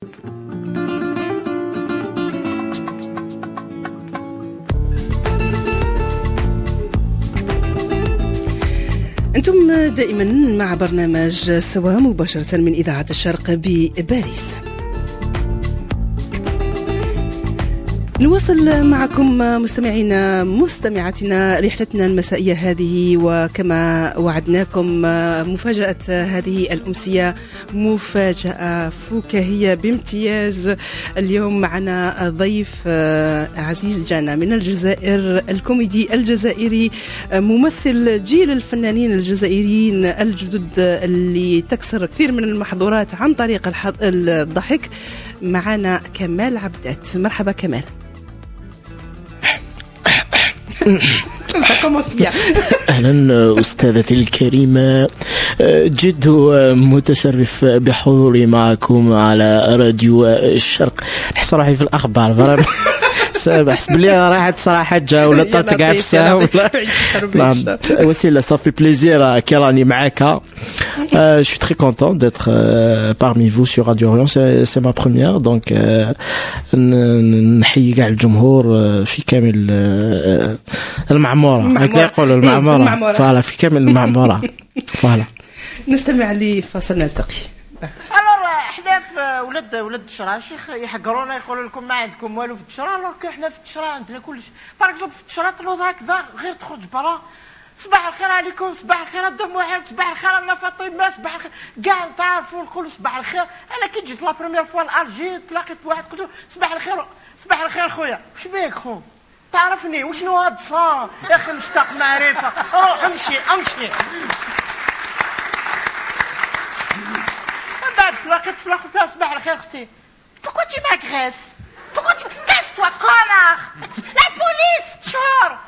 أنتم دائما مع برنامج سوا مباشرة من إذاعة الشرق بباريس. نواصل معكم مستمعينا مستمعاتنا رحلتنا المسائية هذه، وكما وعدناكم مفاجأة هذه الأمسية مفاجأة فكاهية بامتياز. اليوم معنا ضيف عزيز جانا من الجزائر، الكوميدي الجزائري، ممثل جيل الفنانين الجزائريين الجدد اللي تكسر كثير من المحظورات عن طريق الضحك. معنا كمال عبدات. مرحبا كمال. أهلا أستاذتي الكريمة، جد متشرف بحضوري معكم على راديو الشرق. نحس روحي في الأخبار، بحس بلي راحت صراحة جا ولا طاطق عفسة. وسيلة ça fait plaisir كي راني معاك. Je suis très content d'être parmi vous sur Radio Orient, c'est ma première, donc نحيي كاع الجمهور في كامل المعمورة، هكذا يقولوا المعمورة، voilà في كامل المعمورة. voilà نستمع لفاصل نلتقي. احنا في ولاد الدشرة شيخ يحقرونا يقولوا لكم ما عندكم والو في الدشرة، alors حنا في الدشرة عندنا كلش. par exemple في الدشرة تنوض هكذا غير تخرج برا، صباح الخير عليكم، صباح الخير الدم واحد، صباح الخير انا فاطمة، صباح الخير كاع تعرفوا نقولوا صباح الخير. انا كي جيت la première fois l'Alger تلاقيت بواحد قلت له صباح الخير، صباح الخير خويا، واش بيك خو؟ تعرفني وشنو هاد الصان يا اخي؟ مشتاق معرفة، روح امشي امشي. بعد تلاقيت في الاخر تاع صباح الخير اختي، pourquoi tu m'agresses؟ Pourquoi tu casse-toi connard؟ La police تشهر.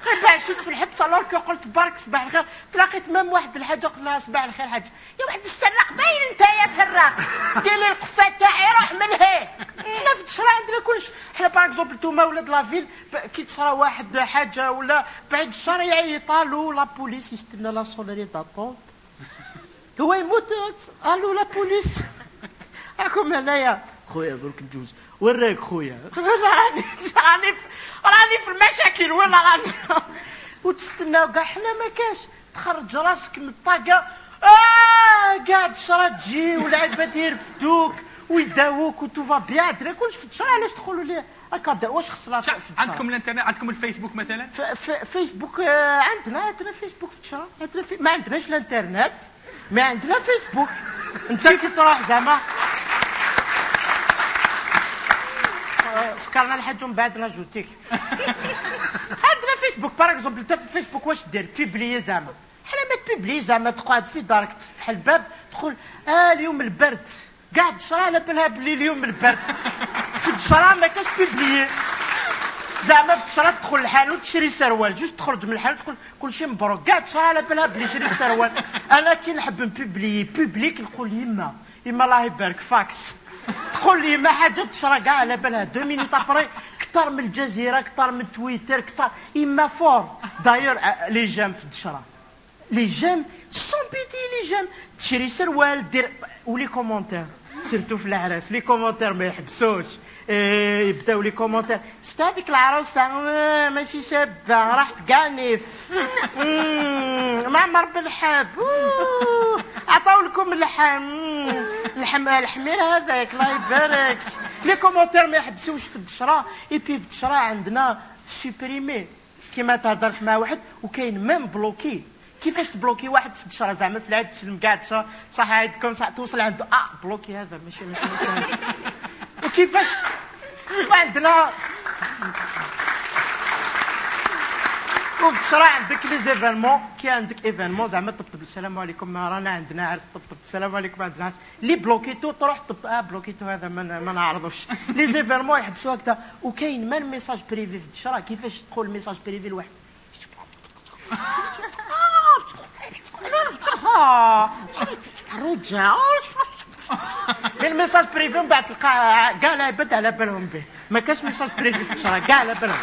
غير بعد شفت في الحبس alors que قلت برك صباح الخير. تلاقيت même واحد الحاجة قلت لها صباح الخير حاجة، يا واحد السراق باين انت يا سراق، دير لي القفه تاعي روح من هي. حنا في الدشرة عندنا كلش. حنا par exemple نتوما ولاد la ville كي تصرا واحد حاجة ولا بعد الشهر يعيطالو la police، يستنى la sonnerie d'attente هو يموت، allô la police راكم هنايا خويا درك نجوز وراك خويا، راني راني راني في المشاكل ولا راني وتستناو كاع. حنا ما كاش، تخرج راسك من الطاقة كاع الدشرة تجي والعباد يرفدوك ويداووك و tout va bien. عندنا كلش في الدشرة. علاش تقولوا لي هكا؟ واش خصنا في الدشرة؟ عندكم الانترنت، عندكم الفيسبوك مثلا؟ فيسبوك عندنا فيسبوك في الدشرة، عندنا ما عندناش الانترنت، ما عندنا فيسبوك. انت كي تروح زعما فكرنا الحاج ومن بعد ناجوتيك. عندنا فيسبوك par exemple انت في فيسبوك واش دير؟ publier زعما. حنا ما ت publier زعما، تقعد في دارك تفتح الباب تقول اليوم البرد، كاع الدشرة على بالها بلي اليوم البرد. في الدشرة ما كاش publier زعما. في الدشرة تدخل الحانوت تشري سروال، juste تخرج من الحانوت تقول كلشي مبروك، كاع الدشرة على بالها بلي شريت سروال. انا كي نحب ن publier public نقول يما يما الله يبارك فاكس، تقول لي ما حاجة الدشرة كاع على بالها. 2 minutes après كثر من الجزيرة، كثر من تويتر، كثر يما fort. d'ailleurs les j'aime في الدشرة، les j'aime sans pitié، les j'aime تشري سروال دير و les commentaires surtout في العراس les commentaires ما يحبسوش. يبداو les commentaires شفت هذيك العروسة ماشي شابه راحت كانف معمر بالحب، عطاو لكم اللحم اللحم الحمير هذاك الله يبارك. les commentaires ما يحبسوش في الدشره. et puis في الدشره عندنا supprimer كيما تهضرش مع واحد، وكاين même bloquer. كيفاش ت bloquer واحد في الدشره زعما في العيد تسلم كاع الدشره صح عيدكم صح توصل عنده bloquer هذا ماشي ماشي. وكيفاش عندنا وفي عندك les événements، كي عندك événement زعما طبطب السلام عليكم رانا عندنا عرس، طبطب السلام عليكم عندنا عرس، لي bloqué تو تروح طب bloqué تو هذا ما نعرضوش. les événements يحبسوا هكذا. وكاين même message privé في الدشره. كيفاش تقول message privé لواحد؟ من message privé من بعد تلقى كاع العباد على بالهم به. ما كاش message privé في الدشره كاع على بالهم.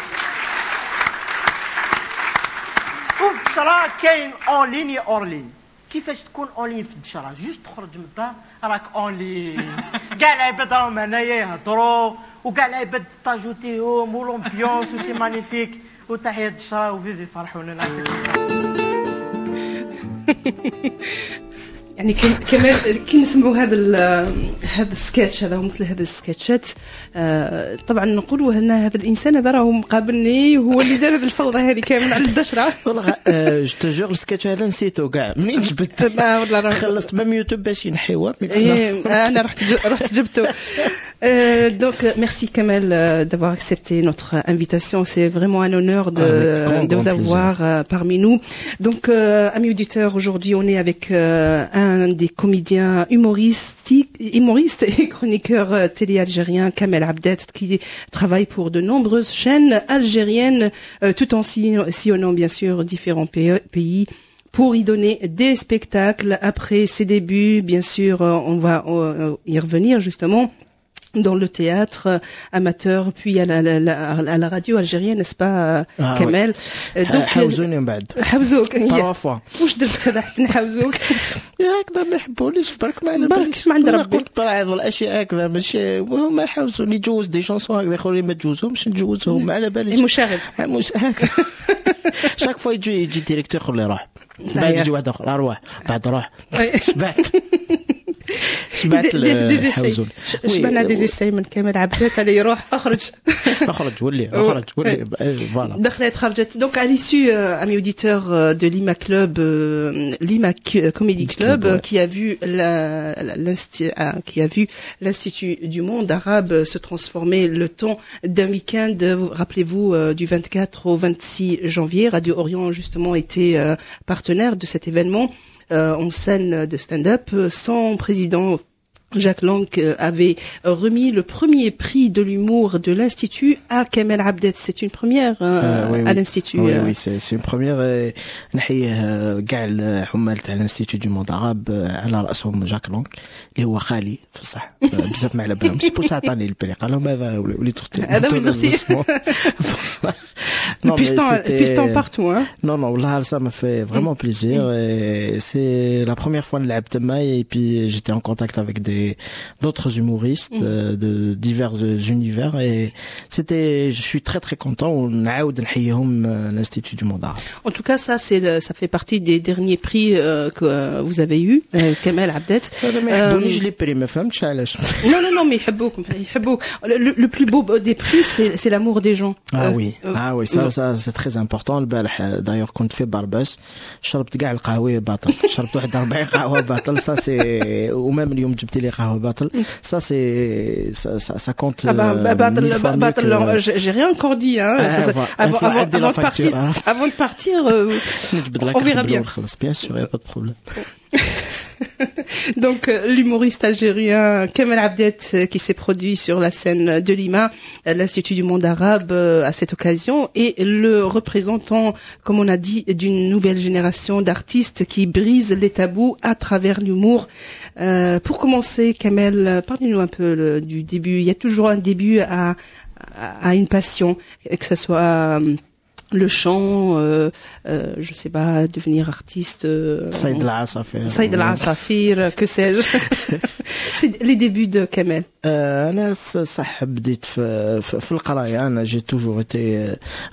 وفي الدشره كاين en ligne hors ligne. كيفاش تكون en ligne في الدشره؟ juste تخرج من الدار راك en ligne، كاع العباد راهم هنايا يهضروا وكاع العباد تاجوتيهم و l'ambiance و c'est magnifique. وتحية الدشره و vive فرحونا، نعطيكم الصحة. يعني كمان كي نسمعوا هذا السكتش هذا ومثل هذا السكتشات، طبعا نقولوا ان هذا الانسان هذا راهو مقابلني وهو اللي دار هذه الفوضى هذه كامل على الدشره. والله je te jure السكتش هذا نسيته كاع منين جبت، والله خلصت même يوتيوب باش ينحيوه. انا رحت جبته. Donc merci Kamel d'avoir accepté notre invitation, c'est vraiment un honneur de vous avoir parmi nous. Donc amis auditeurs, aujourd'hui on est avec un des comédiens humoristes et chroniqueurs télé algériens, Kamel Abdet, qui travaille pour de nombreuses chaînes algériennes, tout en sillonnant bien sûr différents pays pour y donner des spectacles. Après ses débuts, bien sûr, on va y revenir justement dans le théâtre amateur, puis à la radio algérienne, n'est-ce pas, Kamel? Oui. Donc حوزوني من بعد. حوزوك. trois fois. واش درت هذا حتى نحوزوك؟ هكذا ما يحبونيش برك، ما على باليش. ما عند ربي. قلت بعض الاشياء هكذا ماشي، وهما يحوزوني جوز des chansons هكذا، يقولوا لي ما تجوزهمش نجوزهم، ما على باليش. مشاغب. chaque fois يجي directeur يقول لي روح، بعد يجي واحد اخر اروح، بعد روح. شبعت des essais، شبعنا des essais من كمال عبدات على يروح اخرج اخرج ولي اخرج ولي voilà. دخلت خرجت. Donc à l'issue, amis auditeurs, de Lima Club, Lima Comedy Club, qui a vu l'Institut du monde arabe se transformer le temps d'un week-end. Rappelez-vous, du 24 au 26 janvier, Radio Orient justement était partenaire de cet événement en scène de stand-up. Son président Jacques Lang avait remis le premier prix de l'humour de l'Institut à Kamel Abdet. C'est une première oui, à l'Institut. Oui, oui, c'est une première. نحييه كاع العمال تاع l'Institut du monde arabe، على راسهم جاك لونغ اللي هو خالي في الصح، بزاف ما على بالهم، c'est pour ça عطاني ال prix، قال لهم هذا وليد اختي. هذا وليد اختي. Piston partout, hein. Non, non, là, ça m'a fait vraiment plaisir. Et c'est la première fois نلعب تما et puis j'étais en contact avec d'autres humoristes de divers univers et c'était, je suis très très content. ونعاود نحييهم l'Institut du monde arabe. En tout cas, ça fait partie des derniers prix que vous avez eu, Kamel Abdet. هذا ما يحبونيش les prix، ما فهمتش علاش. Non, non, non, mais يحبوك يحبوك. Le plus beau des prix, c'est l'amour des gens. Ah oui, ah oui, ça c'est très important. البارح d'ailleurs كنت في بارباس، شربت كاع القهوة باطل، شربت واحد 40 قهوة باطل، ça c'est و même اليوم جبت لي قهوة باطل، ça c'est ça compte. Ah bah, باطل باطل, j'ai rien encore dit, hein. Ah, ça, voilà. avant, Il faut avant, adder la avant de partir, facture, hein. avant de partir, نجبد la on verra carte bien. bleue ونخلص. Bien sûr, y a pas de problème. Donc l'humoriste algérien Kamel Abdet qui s'est produit sur la scène de Lima, l'Institut du monde arabe à cette occasion, et le représentant, comme on a dit, d'une nouvelle génération d'artistes qui brisent les tabous à travers l'humour. Pour commencer, Kamel, parlez-nous un peu du début. Il y a toujours un début à une passion, que ce soit le chant, je sais pas, devenir artiste. صيد العصافير. صيد العصافير, que sais-je. C'est les débuts de Kamel. انا في صح بديت في القرايه، انا j'ai toujours été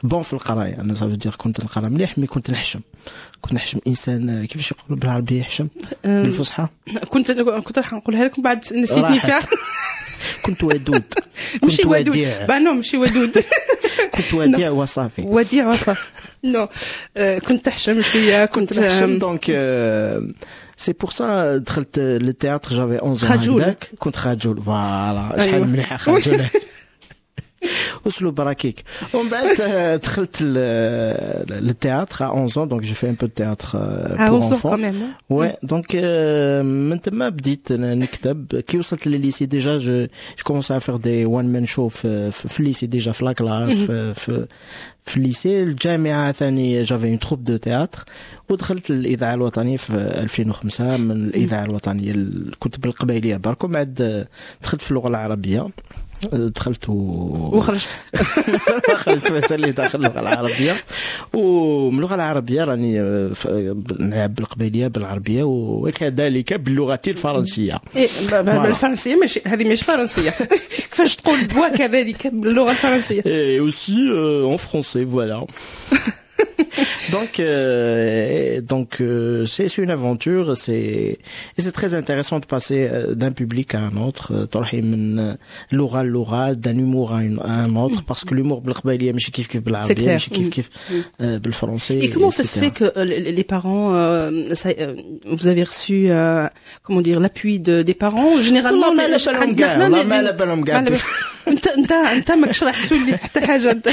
bon في القرايه، انا ça veut dire كنت نقرا مليح، mais كنت نحشم، كنت نحشم، انسان كيفاش يقولوا بالعربية يحشم بالفصحى؟ كنت راح نقولها لكم بعد نسيتني راحت. فيها. كنت ودود. ماشي كنت ودود. وديع. bah non، ماشي ودود. كنت وديع وصافي. وديع وصافي، non، كنت تحشم شويه، كنت كنت نحشم، donc c'est pour ça دخلت لل théâtre، j'avais 11 خجول. هكذاك كنت خجول، voilà شحال مليحة خجول، اسلوب ركيك. ومن بعد دخلت لل théâtre à 11 ans، donc j'ai fait un peu de théâtre à pour 11 ans enfants. quand même, hein. Ouais, donc من تما بديت نكتب. كي وصلت للل lycée déjà je commençais à faire des one man show في ال lycée déjà، في la classe، في في ال lycée. الجامعة ثاني j'avais une troupe de théâtre، ودخلت الاذاعة الوطنية في 2005. من الاذاعة الوطنية كنت بالقبائليه برك، ومن بعد دخلت في اللغة العربيه، دخلت وخرجت. مازال ما خرجت، مازال لي داخل اللغة العربيه. ومن اللغة العربية راني نلعب بالقبيليه، بالعربيه، وكذلك باللغة الفرنسيه. إيه، بالفرنسيه؟ ماشي هذه مش فرنسيه، كيفاش تقول وكذلك باللغة الفرنسيه؟ Et aussi en français, voilà. Donc, c'est une aventure, c'est très intéressant de passer d'un public à un autre, تروحي من لغة للغة، d'un humour à un autre, parce que l'humour بالقبائلية ماشي كيف كيف بالعربية، ماشي كيف كيف بالفرنسي. Et comment ça se fait que les parents, vous avez reçu, comment dire, l'appui des parents généralement؟ ما على بالهم كاع، والله ما على بالهم كاع. انت ماكش راح تولي حتى حاجة انت.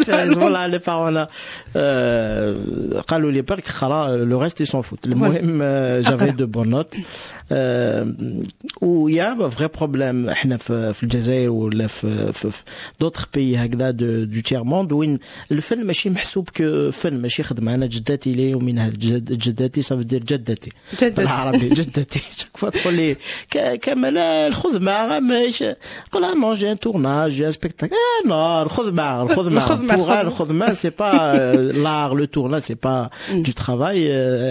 والله les parents قالوا لي برك خرا، le reste ils s'en foutent. المهم j'avais de bonnes notes. و y a vrai problème احنا في الجزائر ولا في d'autres pays هكذا du tiers monde، وين الفن ماشي محسوب كفن، ماشي خدمه. انا جداتي لي ومن جداتي، ça veut dire جدتي بالعربي، جدتي chaque fois تقول لي كمال الخدمة ماهيش، قول non، j'ai un tournage، j'ai un spectacle. Non، الخدمه، الخدمه، pour الخدمة c'est pas l'art، le tournage c'est pas du travail.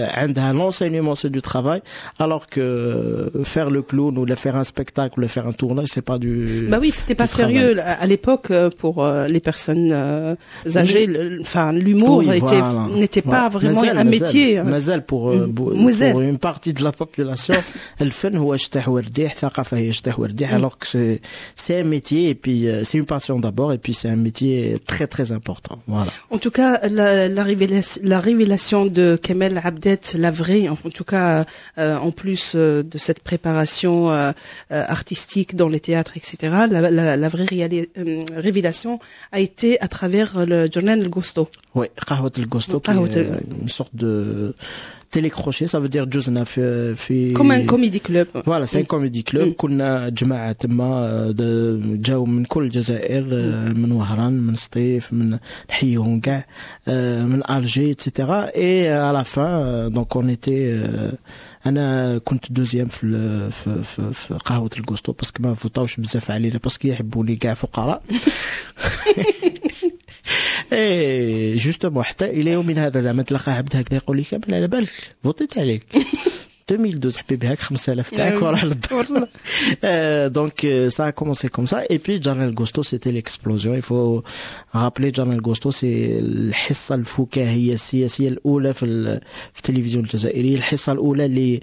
عندها l'enseignement c'est du travail، alors que faire le clown ou faire un spectacle ou faire un tournage، c'est pas du Bah oui، c'était pas sérieux à l'époque pour les personnes âgées. Enfin، l'humour était n'était pas vraiment un métier. مازال pour une partie de la population الفن هو شطيح ورديح، ثقافة هي شطيح ورديح، alors que c'est un métier et puis c'est une passion d'abord et puis c'est un métier très très important. Voilà. En tout cas، la révélation de Kamel Abdet، la vraie، en tout cas، en plus de cette préparation artistique dans les théâtres، etc., la vraie révélation a été à travers le جرنان الڨوسطو. Oui، قهوة الڨوسطو، qui est une sorte de télé-crochet، ça veut dire جوزنا في comme un comedy club. Voilà، c'est un comedy club. كنا جماعة تما جاو من كل الجزائر، من وهران، من سطيف، من نحييهم كاع، من Alger، et cetera. et à la fin donc on était، انا كنت deuxième في قهوة الڨوسطو، parce que ما فوتاوش بزاف علينا، parce que يحبوني كاع فقراء. et justement حتى الى يومنا هذا زعما تلقى عبد هكذا يقول لي كامل على بالك فوتيت عليك 2012، حبيبي هاك 5000 تاعك وراح للدار. donc ça a commencé comme ça et puis جرنان الڨوسطو c'était l'explosion. il faut rappeler، جرنان الڨوسطو c'est الحصة الفكاهية السياسية الاولى في التلفزيون الجزائري، الحصة الاولى اللي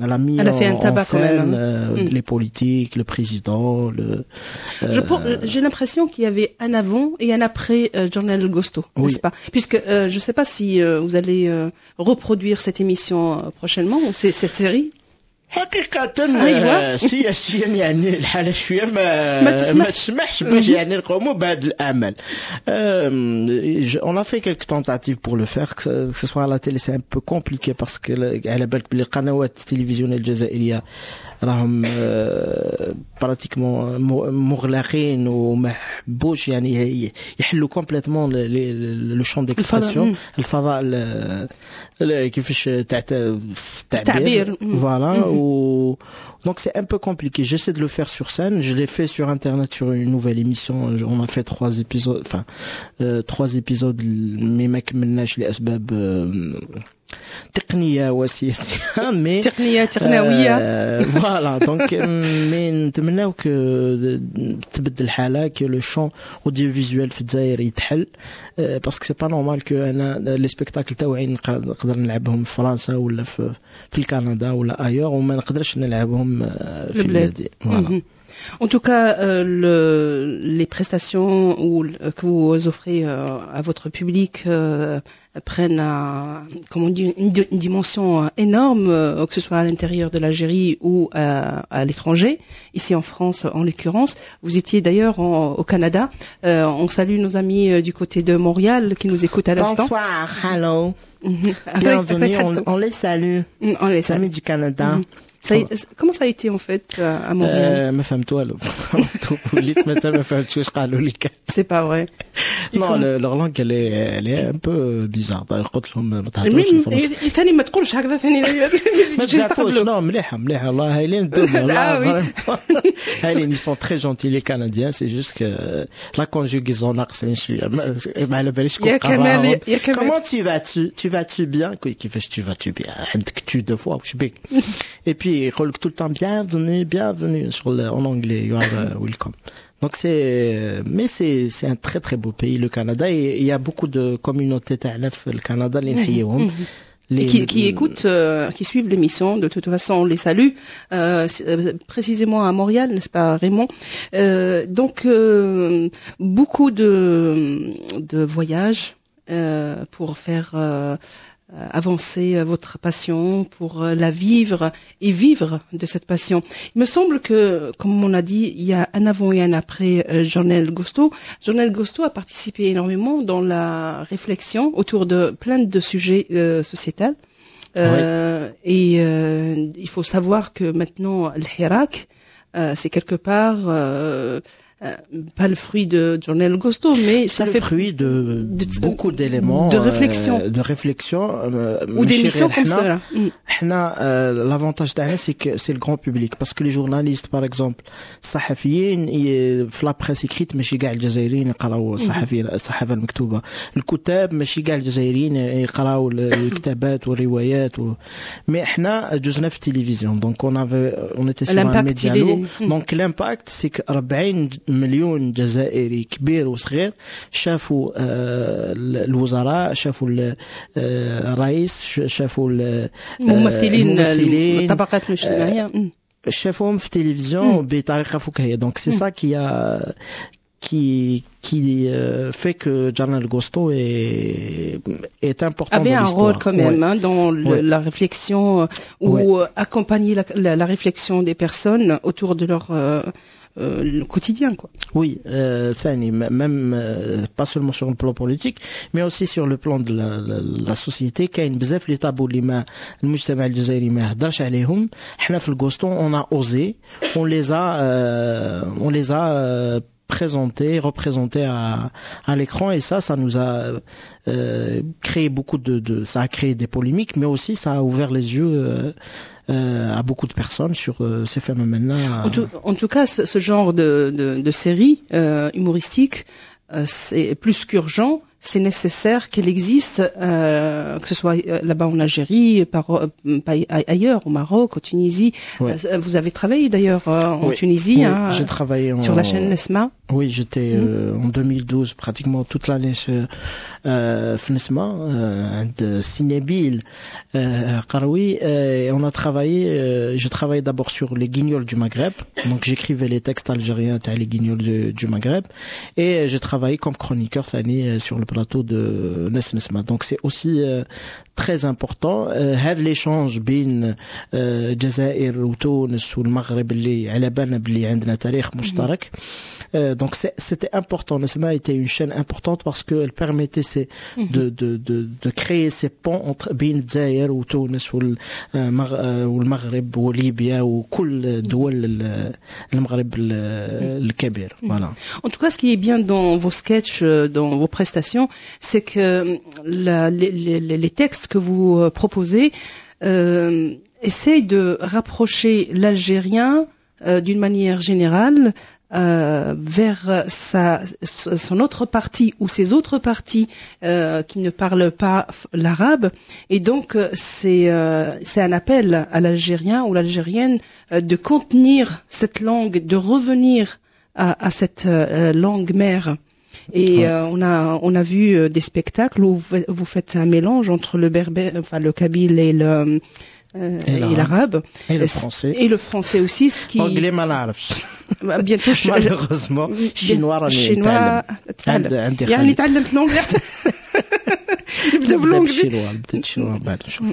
elle a mis Elle a fait un tabac quand même. les politiques، le président، le J'ai l'impression qu'il y avait un avant et un après جرنان الڨوسطو، n'est-ce pas؟ Puisque je ne sais pas si vous allez reproduire cette émission prochainement ou cette série. حقيقة أيوة. سياسيا يعني الحالة شوية ما ما ما تسمحش باش يعني نقوموا بهذا الأعمال. On a fait quelques tentatives pour le faire، que ce soit à la télé c'est un peu compliqué parce que على بالك بلي القنوات التلفزيونية الجزائرية راهم pratiquement مغلقين وما حبوش يعني يحلوا complètement le champ d'expression، الفضاء كيفاش تاع التعبير. Voilà. Donc c'est un peu compliqué. J'essaie de le faire sur scène. Je l'ai fait sur internet sur une nouvelle émission. On a fait trois épisodes، enfin trois épisodes، mais ما كملناش لأسباب تقنية وسياسية، mais تقنية تقنوية. voilà، donc mais نتمناو que تبدل الحالة، que le champ audiovisuel في الجزائر يتحل، parce que c'est pas normal que انا les spectacles تاوعي نقدر نلعبهم في فرنسا ولا في الكندا ولا ailleurs وما نقدرش نلعبهم في بلادي، voilà. En tout cas، les prestations que vous offrez à votre public prennent, comment on dit, une dimension énorme, que ce soit à l'intérieur de l'Algérie ou à l'étranger, ici en France en l'occurrence. Vous étiez d'ailleurs au Canada. On salue nos amis du côté de Montréal qui nous écoutent à l'instant. Bonsoir, hello. Bienvenue, on les salue. On les salue. Amis du Canada. Comment ça a été en fait à Montréal? ما فهمت والو، وليت مثلا ما فهمتش واش قالوا لي. C'est pas vrai? Non, leur langue, elle est un peu bizarre. قلت لهم ما تهضروش الفرنسي. ثاني ما تقولش هكذا ثاني. ما تزعفوش، non، مليحه مليحه والله، هايلين انتم والله هايلين. Ils sont très gentils, les Canadiens, c'est juste que la conjugaison ناقصين شويه، ما على باليش. يا كمال يا كمال. Comment tu vas, tu vas tu bien? كيفاش tu vas tu bien؟ عندك tu deux fois، واش بك؟ Et puis يقول لك tout le temps bienvenue, bienvenue sur le, en anglais, you are welcome. Donc c'est, mais c'est un très très beau pays, le Canada, et il y a beaucoup de communautés تاعنا في الكندا اللي نحييهم. Qui écoutent, qui suivent l'émission. De toute façon, on les salue, précisément à Montréal, n'est-ce pas, Raymond? Donc, beaucoup de voyages pour faire avancer votre passion, pour la vivre et vivre de cette passion. Il me semble que, comme on a dit, il y a un avant et un après Journal Gosto. Journal Gosto a participé énormément dans la réflexion autour de plein de sujets sociétals. Et il faut savoir que maintenant, le Hirak, c'est quelque part pas le fruit de Journal Gosto, mais ça le fait fruit de beaucoup d'éléments de réflexion, de réflexion ou d'émissions comme ça. L'avantage تاعنا, c'est que c'est le grand public, parce que les journalistes, par exemple, الصحفيين في la presse écrite, ماشي كاع الجزائريين يقراو الصحفيين، الصحافه المكتوبه، الكتاب ماشي كاع الجزائريين يقراو الكتابات والروايات mais احنا جوزنا في التلفزيون, donc on était sur un média lourd, donc l'impact, c'est que 40 مليون جزائري كبير وصغير شافوا الوزراء، شافوا الرئيس، شافوا الممثلين، الطبقات الاجتماعيه، شافوهم في التلفزيون بطريقه فكاهيه. Donc c'est ça qui fait que Journal Gosto est important. Avait un rôle quand même, hein, dans la réflexion ou accompagner la réflexion des personnes autour de leur le quotidien, quoi. Oui, ثاني même pas seulement sur le plan politique, mais aussi sur le plan de la société. كاين بزاف les tabous اللي ما المجتمع الجزائري ما هدرش عليهم، حنا في الغوستو on a osé, on les a présentés, représentés à l'écran, et ça nous a créé beaucoup de, ça a créé des polémiques, mais aussi ça a ouvert les yeux à beaucoup de personnes sur ces phénomènes-là. En tout cas, ce genre de série humoristique, c'est plus qu'urgent, c'est nécessaire qu'elle existe, que ce soit là-bas en Algérie, ailleurs, au Maroc, au Tunisie. Ouais. Vous avez travaillé d'ailleurs en Oui. Tunisie, Oui, hein, j'ai travaillé sur la chaîne Nesma. Oui, j'étais en 2012 pratiquement toute l'année في نسمة عند سي نبيل قروي et on a travaillé, j'ai travaillé d'abord sur les Guignols du Maghreb, donc j'écrivais les textes algériens تاع les Guignols du Maghreb, et j'ai travaillé comme chroniqueur ثاني sur le plateau de ناس نسمة. Donc c'est aussi très important هذا l'échange بين الجزائر وتونس والمغرب اللي على بالنا باللي عندنا تاريخ مشترك. Donc c'était important. Nesma était une chaîne importante parce qu'elle permettait de créer ces ponts entre بين الجزائر وتونس والمغرب وليبيا وكل دول المغرب الكبير. Voilà. En tout cas, ce qui est bien dans vos sketchs, dans vos prestations, c'est que les textes que vous proposez essayent de rapprocher l'Algérien d'une manière générale vers son autre partie ou ses autres parties qui ne parlent pas l'arabe. Et donc, c'est un appel à l'Algérien ou l'Algérienne de contenir cette langue, de revenir à cette langue mère. Et on a vu des spectacles où vous faites un mélange entre le berbère, enfin le kabyle et Et l'arabe. Et le français. Et le français aussi, ce qui Anglais ما نعرفش. Bientôt Malheureusement, chinois راني chinois نتعلم. عندي يعني خالي. تعلمت l'anglais. نبدا ب l'anglais. بال chinois، نبدا بال chinois بعد نشوف.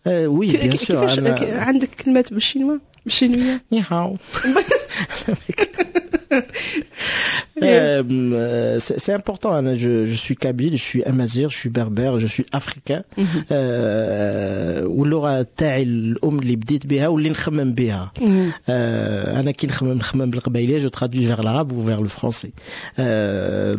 oui bien sûr. كيفاش عندك كلمات بال chinois، بالشينويه؟ 你好. C'est important, أنا je suis kabyle, je suis amazigh, je suis berbère, je suis africain. واللغة تاعي الأم اللي بديت بها واللي نخمم بها. أنا كي نخمم بالقبايلية، je traduis vers l'arabe ou vers le français.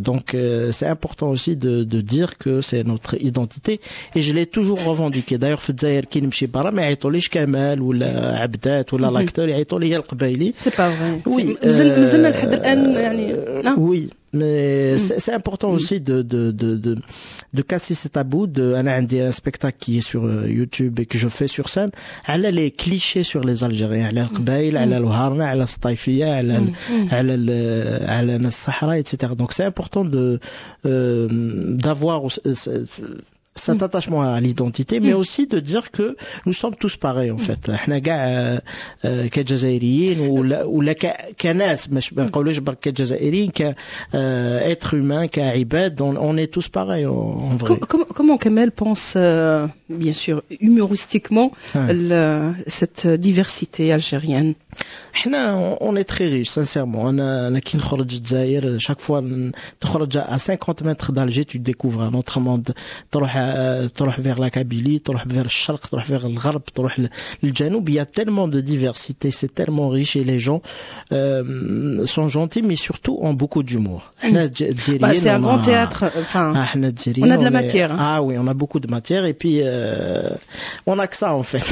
Donc c'est important aussi de dire que c'est notre identité et je l'ai toujours revendiqué. D'ailleurs في الجزائر كي نمشي برا ما يعيطوليش كمال ولا عبدات ولا l'acteur، يعيطوا لي القبايلي. c'est pas vrai؟ oui. مازلنا لحد الان يعني. oui، mais c'est important aussi de casser ce tabou. أنا عندي un spectacle qui est sur YouTube et que je fais sur scène على les clichés sur les Algériens، على القبائل، على الوهارنة، على السطايفية، على ناس الصحراء، etc. Donc c'est important de d'avoir cet attachement à l'identité، mais aussi de dire que nous sommes tous pareils en fait. احنا كاع كجزائريين ولا كناس، مش ما نقولوش برك كجزائريين، ك être humain، كعباد، on est tous pareils en vrai. Comment Kamel pense, bien sûr, humoristiquement, cette diversité algérienne؟ احنا on est très riche sincèrement. انا كي نخرج الجزائر، chaque fois تخرج à 50 mètres d'Alger، tu découvres un autre monde. تروح vers la Kabylie، تروح vers الشرق، تروح vers الغرب، تروح للجنوب، il y a tellement de diversité، c'est tellement riche et les gens sont gentils mais surtout ont beaucoup d'humour. احنا الجزائريين Bah, c'est un grand théâtre. Enfin, احنا الجزائريين on a de la matière. Ah oui، on a beaucoup de matière et puis on a que ça en fait.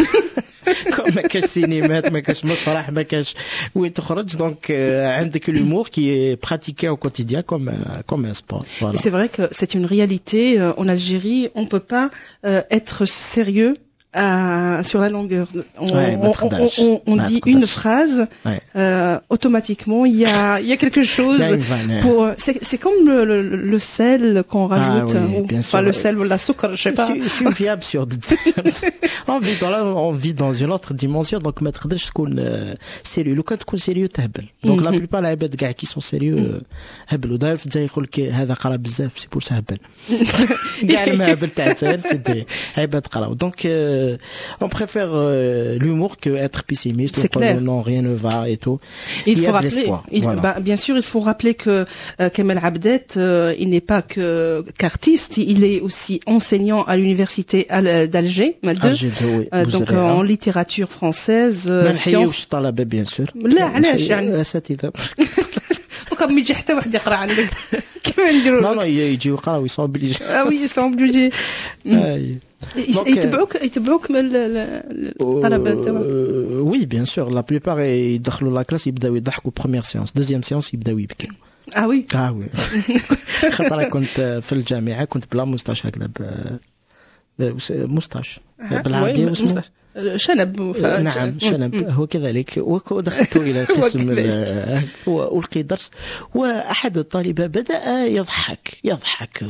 comme ما كاش سينمات، ما كاش مسرح، ما كاش وين تخرج، donc عندك l'humour qui est pratiqué au quotidien comme un sport. Voilà. C'est vrai que c'est une réalité en Algérie, on peut pas être sérieux sur la longueur. On, Ouais, on, on ما dit تقدرش. une phrase, automatiquement il y a quelque chose Il y a une vanne. pour c'est comme le sel qu'on rajoute Ah oui, ou, bien enfin sûr. le sel ou la سكر، je sais pas. C'est une vie absurde. On vit dans une autre dimension، donc ما تقدرش تكون sérieux. لو كان تكون sérieux تهبل. Donc la plupart العباد كاع qui sont sérieux هبلوا. داير في الجزائر يقول لك هذا قرا بزاف، c'est pour ça هبل. كاع المهابل تاع الجزائر c'est des عباد قراو. Donc on préfère l'humour que être pessimiste. C'est clair. Non، rien ne va et tout. Il Il y faut a de rappeler, l'espoir. Voilà. bah, bien sûr, il faut rappeler que Kamel Abdet, il n'est pas que qu'artiste, il est aussi enseignant à l'université d'Alger, deux, Alger 2، oui. Donc Bouzaréah. en littérature française, ما sciences. نحيوش الطلبة bien sûr. لا، علاش يعني؟ الاساتذة. دوكا ما يجي حتى واحد يقرا عندك، كيف نديروا؟ non non، يجيو يقراو، ils sont obligés. Ah oui، ils sont obligés. Donc, يتبعوك من الطلبة تاعك؟ oui bien sûr، la plupart يدخلوا la classe يبداو يضحكوا première séance، deuxième séance يبداو يبكيو. Ah oui؟ اه oui، خاطر كنت في الجامعة كنت بلا moustache هكذا، moustache بالعربية oui، واسمه؟ moustache. شنب. نعم، شنب هو كذلك. ودخلت الى قسم والقي درس، واحد الطالبة بدا يضحك يضحك،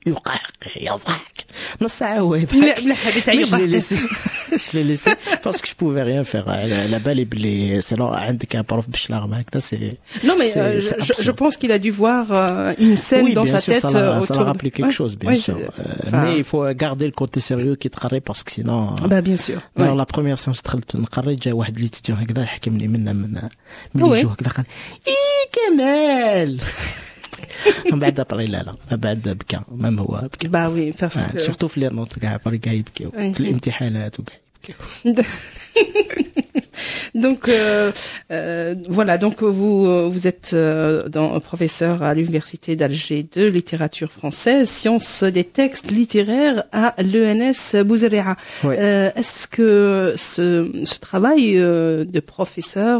يقهقه، يضحك نص ساعة هو يضحك. لا لا، هذه تاع Mais je l'ai يضحك. laissé، je l'ai laissé parce que je pouvais rien faire. على بالي بلي c'est عندك un prof بالشلاغم هكذا، c'est Non mais c'est je pense qu'il a dû voir une scène Oui, dans bien sa sûr, tête ça l'a, ça autour l'a rappelé quelque Ouais, chose, bien ouais, sûr. Enfin, Mais il faut garder le côté sérieux كي تقري parce que sinon. Bah bien sûr. Alors la première séance دخلت نقري، جا واحد l'étudiant هكذا حكمني منا من oui. الجو هكذا، قال اي كمال، من بعد après لا لا، من بعد بكى، même هو بكى. Bah oui، parce que surtout في les notes كاع كاع يبكيو، في الامتحانات وكاع يبكيو. Donc voilà، donc vous vous êtes professeur à l'université d'Alger de littérature française, sciences des textes littéraires à l'ENS Bouzaréah. Ouais. Est-ce que ce travail de professeur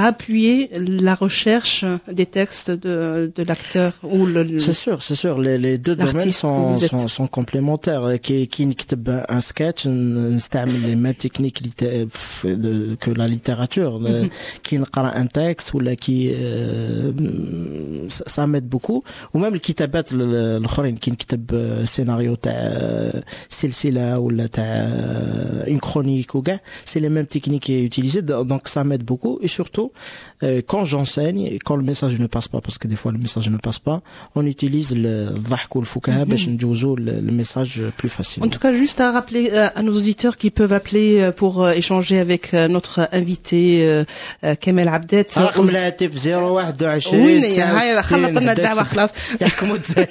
a appuyé la recherche des textes de l'acteur ou le C'est sûr، c'est sûr. Les deux domaines l'artiste que sont, vous êtes. sont complémentaires. كي نكتب un sketch نستعمل les mêmes techniques que la littérature. كي نقرا un texte ولا كي ça m'aide beaucoup. و même الكتابات الاخرين، كي نكتب سيناريو تاع سلسلة ولا تاع une chronique وكاع، c'est les mêmes techniques utilisées، donc ça m'aide beaucoup et surtout surtout quand j'enseigne, quand le message ne passe pas, parce que des fois le message ne passe pas, on utilise الضحك والفكاهة باش نجوزو le message plus facilement. En tout cas, juste à rappeler à nos auditeurs qui peuvent appeler pour échanger avec notre invité Kamel Abdet. رقم الهاتف 021. وين هاي؟ خلط لنا الدعوة خلاص. يحكموا الجزائر،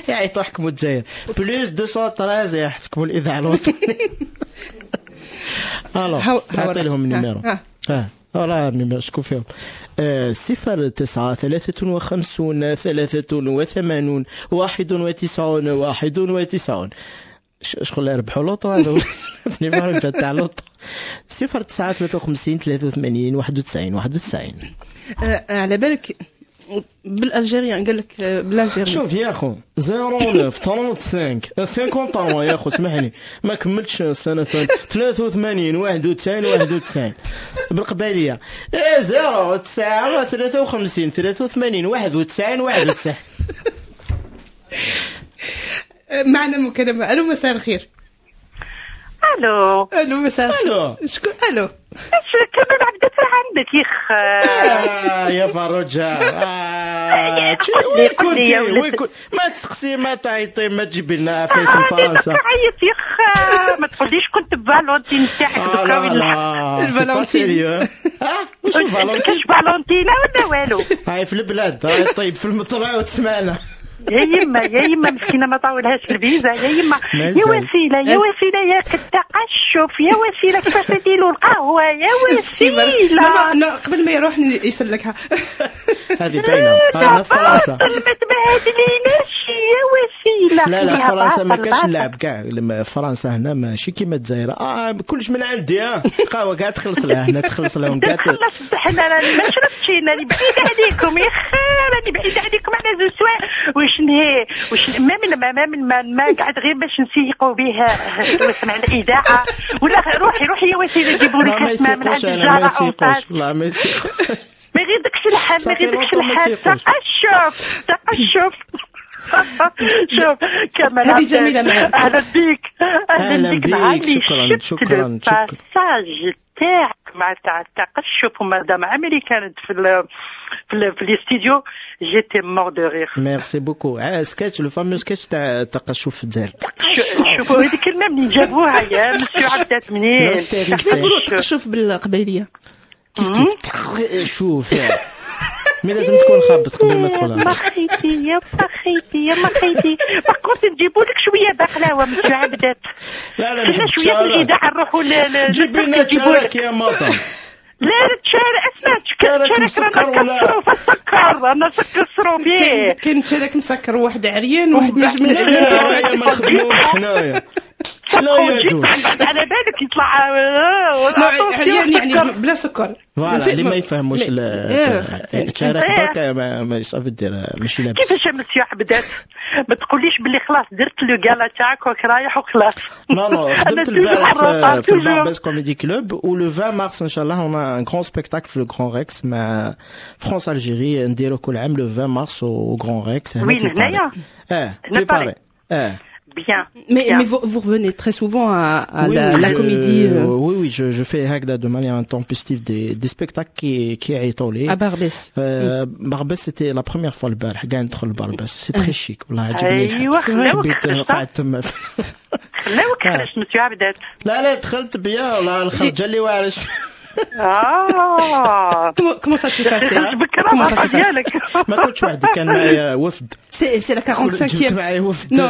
يعيطوا يحكموا الجزائر، plus 213 يحكموا الاذاعة الوطنيه. alors تعطي لهم ال numéro. اه voilà ال numéro، شكون فيهم؟ 09 53 83 91 91. شغل يربحوا loto هذا ال numéro تاع loto، 09 53 83 91 91. على بالك بال algérien، قال لك بال algérien. شوف يا خو، 09 35 53، يا خو اسمح ما كملتش السنة، 83 91 91. بالقباليه 0 9 53 83 91 91. معنا مكالمة. الو، مساء الخير. الو. الو، مساء الخير. الو. شكون؟ الو. كمال عبدات عندك يخ؟ آه يا فروجة، وين كنتي؟ وين كنت؟ ما تسقسي، ما تعيطي، ما تجيبي لنا فيس فرنسا. عيط يخ، ما تقوليش كنت فالونتين تاعك دوكا. وين الفالونتين؟ وش الفالونتين؟ كاش فالونتينا ولا والو؟ هاي في البلاد، هاي طيب في المطلع وتسمعنا. يا يما يا يما، مسكينه ما طاولهاش الفيزا. يا يما يا وسيلة يا وسيلة يا التقشف يا وسيله، كيفاش تديروا القهوة يا وسيله؟ لا، قبل ما يروح يسلكها. هذه باينه، انا في فرنسا. ما تبهدليناش يا وسيله. لا لا، فرنسا ما كاش اللعب كاع. فرنسا هنا ماشي كيما الجزائر، كلش من عندي، قهوة كاع تخلص لها هنا، تخلص لهم كاع. خلص، حنا ما شربتش، راني بعيد عليكم يا خي، راني بعيد عليكم على زوج سوايع. واش نهي واش ما من ما من ما, ما قعد غير باش نسيقوا به واسمع الاذاعة ولا روحي روحي يا وسيلة جيبوا لك ما من عند الجاره. لا ما ما يغيدكش الحال، ما يغيدكش الحال. تقشف تقشف. شوف كمال. هذه جميلة معك. اهلا بك. اهلا بك، شكرا شكرا شكرا. passage تاعك مع تاع التقشف ومادام عمري كانت في les studios، j'étais mort de rire. merci beaucoup. sketch، le fameux sketch تاع التقشف في الجزائر. شوفوا هذيك الكلمة منين جابوها يا مسيو عبدات؟ منين؟ كيف يقولوا التقشف بالقبيليه؟ كيف كيف، شوف، mais لازم تكون خابط قبل ما تدخلها. ما خيتي يا ما خيتي يا ما خيتي، par contre نجيبوا لك شوية بقلاوه مسيو عبدات. لا لا. كنا شوية في الاذاعة نروحوا. جيبي لنا تشارك يا ماطا. لا تشارك، اسمع، تشارك رانا نكسروا في السكر، رانا نكسروا به. كاين تشارك مسكر، واحد عريان، واحد مش من ما نخدموش حنايا، لا يجوز. على بالك يطلع. عريان يعني بلا سكر. voilà، اللي ما يفهموش تشارك برك ما صافي دير ماشي لابس. كيفاش مسيو عبدات؟ ما تقوليش باللي خلاص درت le gala تاعك وراك رايح وخلاص. non non، خدمت البارح في الباربس Comedy Club و le 20 مارس ان شاء الله on a un grand spectacle في le Grand Rex مع France Algérie. نديرو كل عام le 20 mars au Grand Rex. وين؟ هنايا؟ اه، في باري اه. Bien. Mais vous, vous revenez très souvent à Oui, la, oui, la comédie Oui, je fais هكذا de manière intempestive des spectacles qui يعيطوا لي. à Barbès. Barbès c'était la première fois. البارح كاع ندخل لباربس، c'est très chic، والله عجبني الحال. ايوا خلاوك. حبيت قعدت تما. خلاوك خرجت مسيو عبدات. لا لا، دخلت bien، والله الخرجه اللي واعرش. اه. Comment ça s'est passé؟ Comment ça s'est passé؟ ما كنتش وحدي، كان معايا وفد. C'est la 45e. جبت معايا وفد. Non,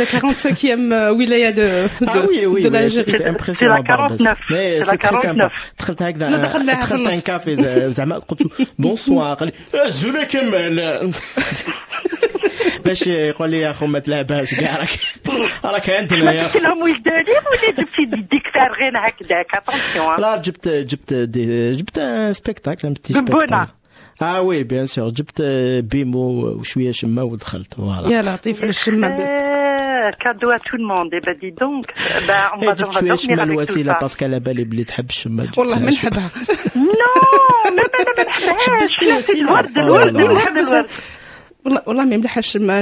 la 45e wilaya de ah oui, oui, de l'Algérie. C'est impressionnant. C'est la 49. Mais c'est la 49. دخلت هكذا، دخلت un café زعما، قلت bonsoir، قال لي زولا كمال، باش يقول لي يا خو ما تلعبهاش كاع، راك عندنا يا خو. لهم وجداني ولا جبتي ديك فارغين هكذاك؟ attention. لا، جبت un spectacle، un petit spectacle. ah oui، bien sûr، جبت بيمو وشوية شمه ودخلت، voilà. يا لطيف على الشمه. cadeau à tout le monde. Eh ben dis donc, ben on va جبت شوية شمه الوسيلة parce que على بالي بلي تحب الشمه. والله ما نحبها. non، ما ما ما نحبهاش. الورد الورد الورد. والله والله ما يملحش ما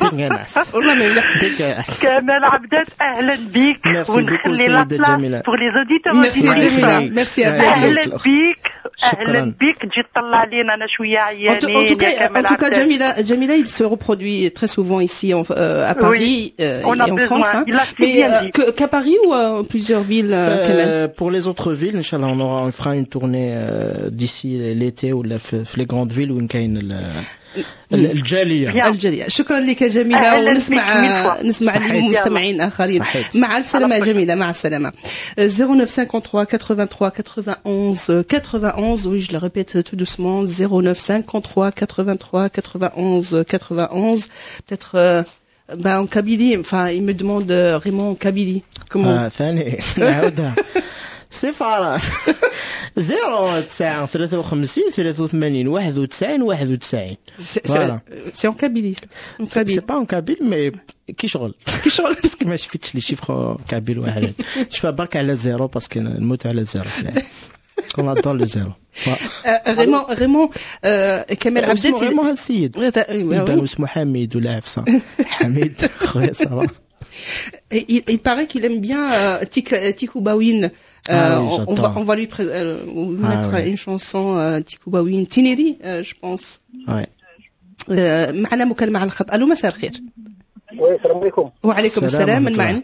dégueulasse. والله ما يملح. dégueulasse. كمال عبدات، اهلا بك. Merci beaucoup. ونخلي la سيدة place جميلة. pour les auditeurs. ميرسي الله جميلة. يخليك. ميرسي. الله يخليك. اهلا الأخت. بك. شكراً. اهلا بك، تجي تطلع علينا، انا شويه En tout, en عيانين tout cas, يا كمال en tout cas, عبدات. Jamila, Jamila, il se reproduit très souvent ici à Paris On a et en besoin. France, hein. Il a si Mais bien dit. qu'à Paris ou à plusieurs villes, Kamel? Pour les autres villes, إن شاء الله, on fera une tournée d'ici l'été ولا في les grandes villes وين كاين الجالية. Bien. الجالية. شكرا لك يا جميلة. أهلاً ونسمع بك mille fois. نسمع صحيت. لمستمعين آخرين. صحيت. مع ألف سلامة يا جميلة، مع السلامة. 09 53 83 91 91. Oui, je le répète tout doucement: 09 53 83 91 91. Peut-être ben, en Kabylie, enfin il me demande Raymond en Kabylie comment. آه ثاني نعاودها: 0 9 53 83 91 91. Voilà. C'est en Kabylie, en Kabylie. C'est pas en kabyle, mais كي شغل. كي شغل. parce que ما شفتش les chiffres kabyles واحد، شفا برك على zéro parce que نموت على zéro، on adore le zéro. Raymond, Raymond, Kamel Abdet, اسمه ريمون هذا السيد يبان اسمه حميد ولا عفسه، حميد خويا، ça va. Il paraît qu'il aime bien Tikoubawin. Ah oui, On va, j'adore. on va lui Ah mettre oui. une chanson Tikoubawin Tineri, je pense. Ouais. معنا مكالمة على الخط. الو، مساء الخير. oui، السلام عليكم. وعليكم السلام السلام، من ورحمة الله.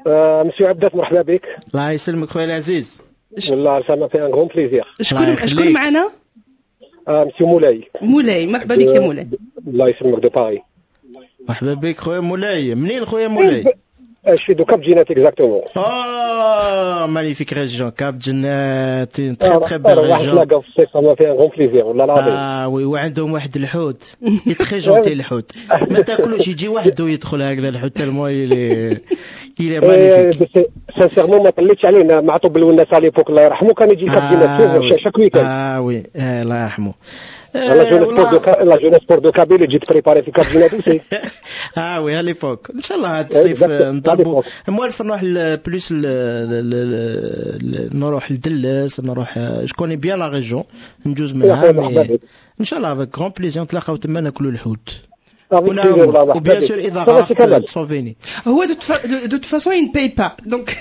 معنا؟ مسيو عبدات، مرحبا بك. الله يسلمك خويا العزيز. والله ça m'a fait un grand plaisir. شكون يخليك. شكون معنا؟ مسيو مولاي. مولاي، مرحبا بك يا مولاي. الله يسلمك، de Paris. مرحبا بك خويا مولاي، منين خويا مولاي؟ Je suis de Cap Djinet exactement. Oh, magnifique région, Cap Djinet, une très très belle واحد région. تلاقى في الصيف، ça m'a fait un grand plaisir والله العظيم. اه oui، وعندهم واحد الحوت très gentil، الحوت ما تاكلوش، يجي وحده ويدخل هكذا الحوت tellement il est magnifique. sincèrement ما طليتش علينا معطوب الوناس à l'époque، الله يرحمه، كان يجي Cap Djinet chaque week-end. اه oui، الله يرحمه. la jeunesse sport la jeunesse sport de Kabylie تجي ت préparer في Cap Djinet aussi. اه oui، à l'époque. ان شاء الله هذا الصيف نضربوا، موالف نروح plus نروح لدلس، نروح، je connais bien la région، نجوز منها. ان شاء الله avec grand plaisir نتلاقاو تما ناكلوا الحوت و bien sûr اذا غرقت تصوفيني. هو de toute façon il ne paye pas donc.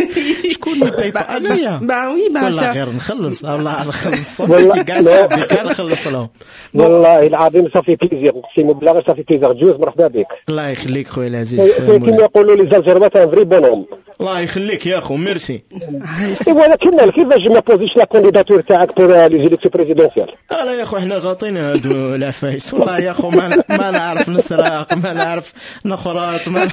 شكون اللي paye pas؟ انايا؟ bah oui, bah والله غير نخلص، والله نخلص كاع صاحبي كاع نخلص لهم. والله العظيم ça fait plaisir، اقسم بالله غير ça fait plaisir جوز، مرحبا بك. الله يخليك خويا العزيز. كيما يقولوا les Algérois، un vrai bonhomme. الله يخليك يا خو، ميرسي. ولكن كيفاش ما posé ش la candidature تاعك pour les élections présidentielles؟ لا يا خو، حنا غاطين هادو العفايس، والله يا خو ما نعرف نسرق، ما نعرف نخرط، ما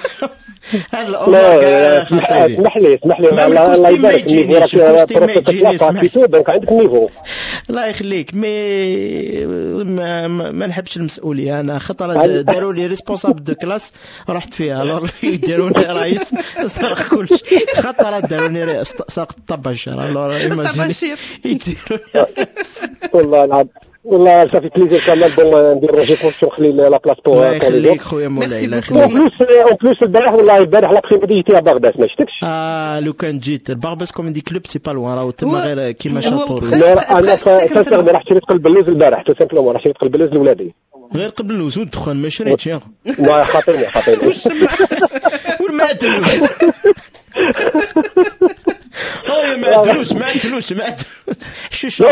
هاد الامور كاع. اسمح لي اسمح لي، الله يبارك، ال niveau donc عندك niveau. الله يخليك، mais ما نحبش المسؤوليه انا. خطره داروا لي responsable de classe رحت فيها، alors يديروني رئيس سرق كلشي. خطره داروني سرقت الطباشير، alors imagine يديروني. والله العظيم والله ça fait plaisir كمال. bon، ندير je pense نخلي la place pour الله يخليك خويا مولاي، الله يخليك. en plus البارح، والله البارح l'après-midi j'étais à Barbès، ما شفتكش. اه لو كان جيت Barbès Comedy Club، c'est pas loin، راهو تما غير كيما شاطور. انا sincèrement راح شريت قلب اللوز البارح، tout simplement راح شريت قلب اللوز لولادي. غير قلب اللوز والدخان ما شريتش يا لا، خاطرني خاطرني. والمعدلوس، معدلوس معدلوس معدلوس شو شو.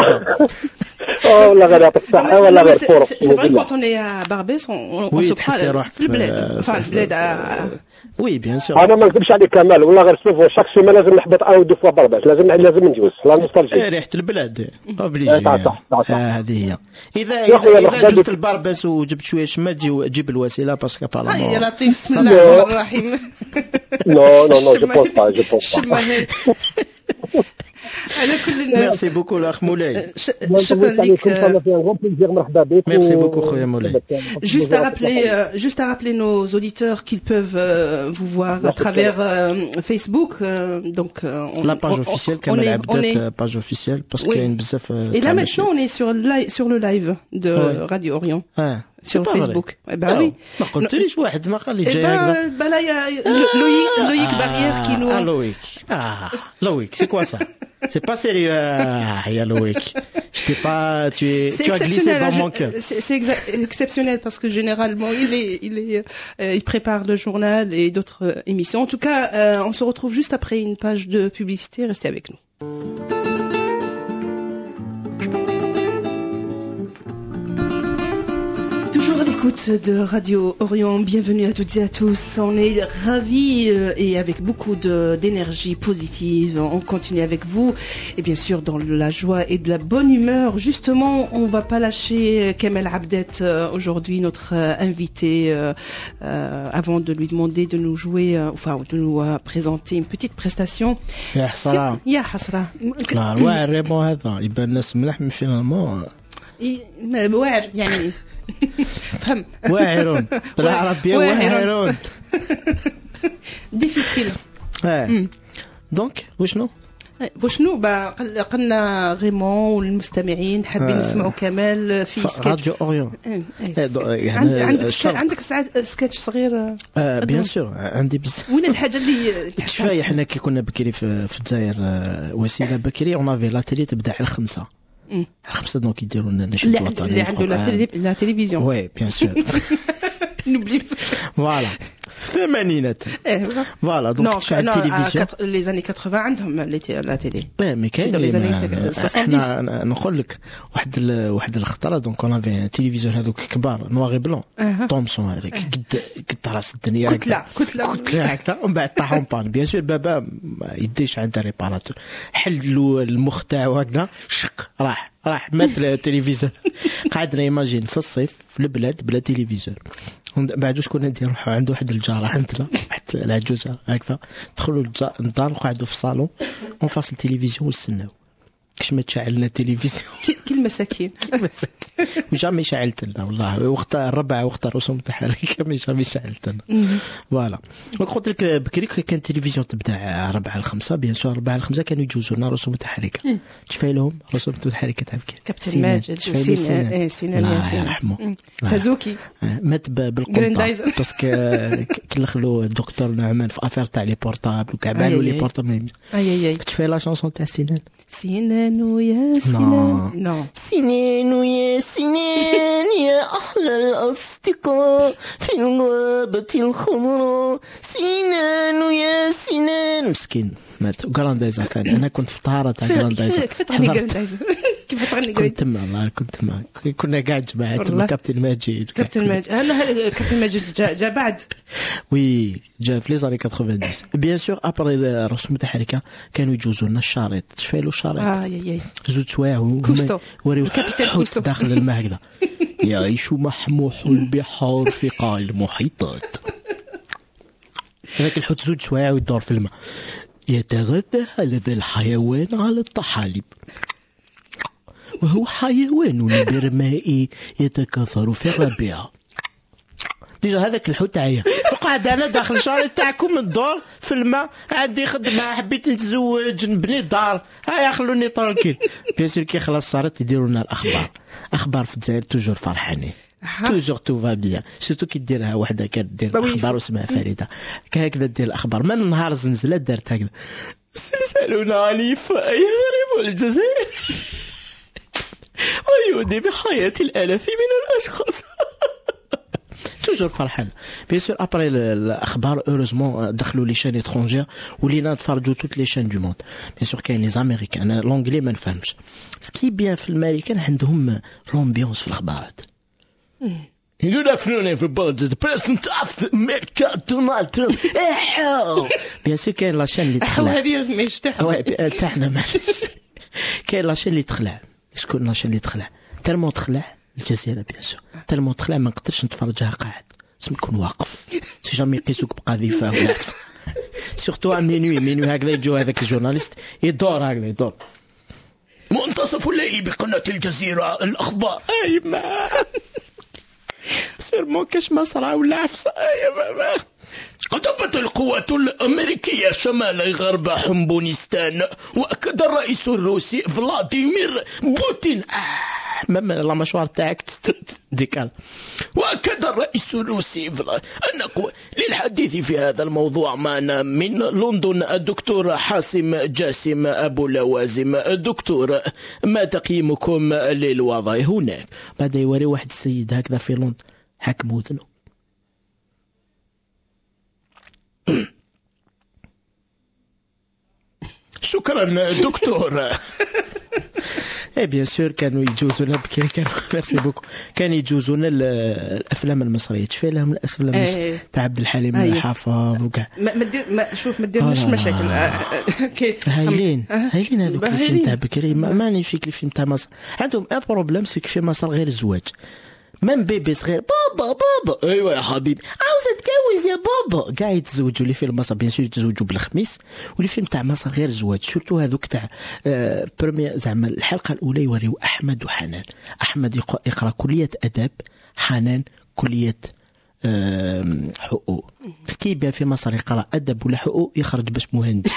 والله غير يعطيك الصحة، والله غير fort. C'est vrai, quand on est à Barbès, on se croit في البلاد، enfin البلاد. oui, bien sûr. انا ما نكذبش عليك كمال، والله غير souvent chaque semaine لازم نحبط un ou deux fois Barbès، لازم لازم ندوز la nostalgie. ريحه البلاد obligé. صح صح. هذه هي. اذا جبت ال Barbès وجبت شويه شما تجيب الوسيله parce que apparemment. يا لطيف، بسم الله الرحمن الرحيم. non non non، je pense pas، je pense pas. على كل merci beaucoup الاخ مولاي. شكرا لك. مرحبا بك. merci beaucoup خويا مولاي. Juste à rappeler nos auditeurs qu'ils peuvent vous voir à travers Facebook. Donc, on, la page officielle, Kamel Abdat, page officielle, parce que كاين بزاف. Et là maintenant, on est sur le live de Radio Orient. Ah. Sur Facebook. Eh ben oui. ما قلتليش، واحد ما قال لي جاي. هكذا. Ben là, il y a Loïc Barrière qui nous. Ah Loïc. Ah Loïc, c'est quoi ça؟ C'est pas sérieux يا Loïc. Je T'es pas, tu as glissé dans mon cœur. C'est exceptionnel parce que généralement il prépare le journal et d'autres émissions. En tout cas, on se retrouve juste après une page de publicité. Restez avec nous. Toujours à l'écoute de Radio Orient, bienvenue à toutes et à tous. On est ravis et avec beaucoup d'énergie positive. On continue avec vous et bien sûr dans la joie et de la bonne humeur. Justement, on va pas lâcher Kamel Abdet aujourd'hui, notre invité, avant de lui demander de nous jouer, enfin de nous présenter une petite prestation. يا حسرة. يا حسرة. لا واعر ريمون هذا يبان الناس ملاح من finalement. واعر يعني. فهم واعرون بالعربية واعرون difficile. donc وشنو وشنو قلنا غيمون والمستمعين حابين يسمعوا كمال في سكتش راديو اوريون. عندك سكتش صغير؟ bien sûr عندي بزاف. وين الحاجة اللي تشفاي حنا كي كنا بكري في الجزائر وسيلة بكري on avait la télé تبدا على 5 5 donc يديروا لنا نشيد وطني اللي عنده la télévision. oui bien sûr n'oublie voilà الثمانينات voilà donc تشعل التلفزيون les années 80 عندهم la télé. mais كاين les années 70. حنا نقول لك واحد الخطرة donc on avait téléviseur هذوك كبار noir et blanc Thomson هذاك قد راس الدنيا كتلة هكذا ومن بعد طاح en panne. bien sûr بابا ما يديش عند réparateur حل له المخ تاعو هكذا شق راح مات التلفزيون. قعدنا imagine في الصيف في البلاد بلا téléviseur. بعد واش كنا ندير نروحو عند واحد الجاره عندنا واحد العجوزة هكذا دخلوا للدار وقعدوا في الصالون en face التلفزيون ونستناو كاش ما تشعلنا التلفزيون كي المساكين و jamais شعلت لنا والله وقت الربع وقت الرسوم التحركيه mais jamais شعلت لنا. voilà قلت لك بكري كان التلفزيون تبدا 4 ل 5 bien sûr 4 ل 5 كانوا يجوزوا لنا رسوم متحركة. تشفاي لهم رسوم متحركة تاع بكري كابتن ماجد سينان الله يرحمه سازوكي مات بالقنطه parce que كلخلو الدكتور نعمان في affaire تاع les portables وكاع بالو les portables. اي تشفاي la chanson تاع سينان سنان ويا سنان non سنان ويا سنان يا أحلى الأصدقاء في الغابة الخضراء سنان ويا سنان. مسكين مات. وكراندايزر ثاني أنا كنت في طهارة تاع كراندايزر. كيف تغني كراندايزر؟ كيف تغني؟ كنت تما والله كنت تما كنا كاع جماعة تما. كابتن ماجد كابتن ماجد أنا كابتن ماجد جا بعد oui جا في les années 90 bien sûr après الرسوم المتحركة كانوا يجوزوا لنا الشريط. تشفالو الشريط اي زوج سوايع كوستو وريو الكابتن كوستو داخل الماء هكذا يعيش محموح البحار في قاع المحيطات. هذاك الحوت زوج سوايع ويدور في الماء. يتغذى هذا الحيوان على الطحالب وهو حيوان برمائي يتكاثر في الربيع. déjà هذاك الحوت عيا وقعد انا داخل الشارع تاعكم ندور في الماء عندي خدمة حبيت نتزوج نبني دار هيا خلوني tranquille. bien sûr كي خلاص صارت يديروا لنا الاخبار. اخبار في الجزائر toujours فرحانين toujours tout va bien surtout كي ديرها وحده كدير الاخبار واسمها فريدة هكذا دير الاخبار من نهار زنزلة دارت هكذا سلسال عنيف يضرب الجزائر ويودي بحياة الالاف من الاشخاص. toujours فرحان. bien sûr après الاخبار heureusement دخلوا les chaînes étrangères ولينا نتفرجوا toutes les chaînes du monde. bien sûr كاين les Américains انا l'anglais ما نفهمش. ce qui est bien في الامريكان عندهم l'ambiance في الاخبارات. Good afternoon everybody, the president of America Donald Trump. bien sûr كاين la chaîne اللي تخلع. هذه مش تاعنا تاعنا معليش. كاين la chaîne اللي تخلع. شكون la chaîne اللي تخلع؟ tellement تخلع الجزيرة bien sûr tellement تخلع ما نقدرش نتفرجها قاعد لازم نكون واقف. si jamais يقيسوك بقذيفه ولا surtout à minuit هكذا يجوا هذاك ال journaliste يدور هكذا يدور منتصف الليل بقناة الجزيرة الأخبار. أي ما sûrement كاش ما صرا ولا عفسة. أي ما قذفت القوات الأمريكية شمال غرب حمبونستان وأكد الرئيس الروسي فلاديمير بوتين. même la mâchoire تاعك décale. واكد الرئيس الروسي ان للحديث في هذا الموضوع معنا من لندن الدكتور حاسم جاسم ابو لوازم. دكتور، ما تقييمكم للوضع هناك؟ بعد يوري واحد السيد هكذا في لندن حاكم وذنه. شكرا دكتور. اي bien sûr كانوا يجوزونا بكري، كانوا merci beaucoup، كانوا يجوزونا الافلام المصريه. تشفي لهم الافلام المصريه تاع عبد الحليم الحافظ وكاع. ما شوف ما ديرناش مشاكل. هايلين هايلين هذوك الفيلم تاع بكري، magnifique. الفيلم تاع مصر عندهم un problème، c'est que في مصر غير الزواج. même bébé صغير بابا بابا ايوا يا حبيبي عاوز اتجوز يا بابا، كاع يتزوجوا. les films مصر bien sûr يتزوجوا بالخميس، و les films تاع مصر غير الزواج. surtout هذوك تاع première زعما الحلقه الاولى يوريو احمد وحنان. احمد يقرا كليه اداب، حنان كليه حقوق. ce qui est bien في مصر يقرا ادب ولا حقوق يخرج باش مهندس.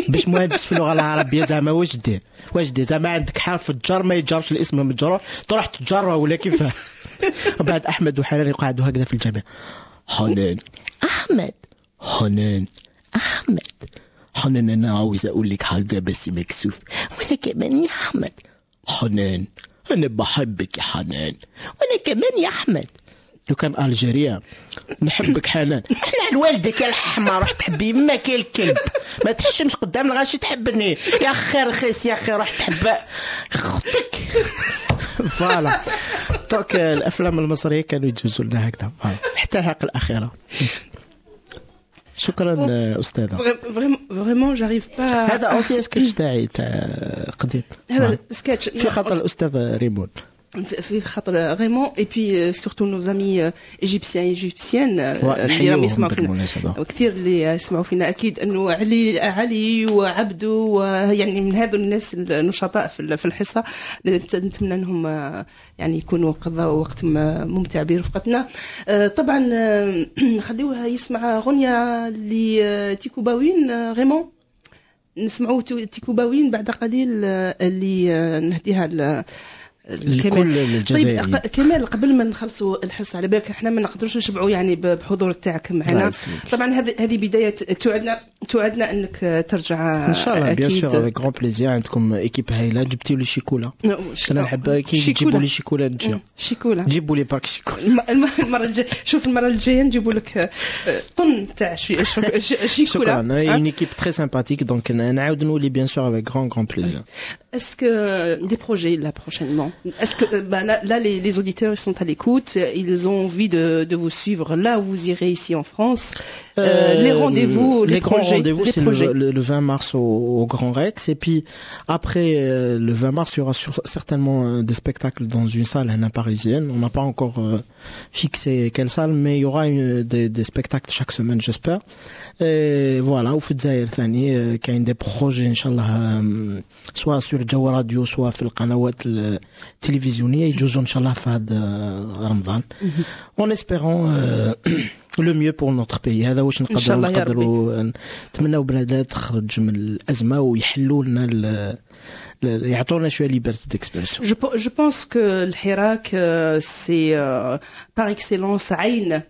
باش مهندس في اللغه العربيه زعما واش دير؟ واش دير زعما؟ عندك حرف الجر ما يجرش الاسم المجرور، تروح تجره ولا كيفاه؟ وبعد احمد وحنان يقعدوا هكذا في الجامعه. حنان احمد، حنان احمد، حنان انا عاوز اقول لك حاجه بس مكسوف. وانا كمان يا احمد. حنان انا بحبك يا حنان. وانا كمان يا احمد. لو كان algérien نحبك حنان. احنا على والدك يا الحمار، روح تحبي يماك يا الكلب، ما تحشمش قدام الغاشي تحبني يا خي رخيص يا خي، روح تحب اختك. voilà donc الافلام المصريه كانوا يجوزوا لنا هكذا حتى الحلقه الاخيره. شكرا استاذه. vraiment j'arrive pas. هذا ancien sketch تاعي تاع قديم. هذا سكتش في خاطر الاستاذ ريمون، في خاطر ريمون et puis surtout nos amis égyptiens égyptiennes اللي راهم يسمعوا فينا، وكثير اللي يسمعوا فينا اكيد انه علي وعبدو، يعني من هذو الناس النشطاء في الحصه. نتمنى انهم يعني يكونوا قضوا وقت ممتع برفقتنا. طبعا خليوها يسمع غنيه لتيكوباوين ريمون، نسمعوا تيكوباوين بعد قليل اللي نهديها لكل الجزائريين. طيب كمال، قبل ما نخلصوا الحصه، على بالك احنا ما نقدروش نشبعوا يعني بحضور تاعك معنا. طبعا هذه بدايه، توعدنا انك ترجع ان شاء الله. bien sûr avec grand plaisir. عندكم équipe هايله، جبتي لي شيكولا. انا نحب كي تجيبوا لي شيكولا نجي. شيكولا جيبوا لي باك شيكولا المره الجايه. شوف المره الجايه نجيبوا لك طن تاع شيكولا. شكرا. une équipe très sympathique، donc نعاود نولي bien sûr avec grand grand plaisir. Est-ce que des projets là prochainement? Est-ce que bah, là les auditeurs ils sont à l'écoute, ils ont envie de vous suivre là où vous irez ici en France. Les rendez-vous, les grands projets, rendez-vous, c'est le 20 mars au Grand Rex, et puis après le 20 mars il y aura certainement des spectacles dans une salle parisienne. On n'a pas encore fixé quelle salle, mais il y aura des spectacles chaque semaine, j'espère. Et voilà, وفي الجزائر ثاني كاين des projets ان شاء الله، soit sur جو راديو soit في القنوات التلفزيونيه يجوزوا ان شاء الله في هذا رمضان، en espérant le mieux pour notre pays. هذا واش نقدروا نتمناو بلادنا تخرج من الازمه ويحلوا لنا، يعطونا شويه liberté d'expression. Je pense que الحراك c'est par excellence عين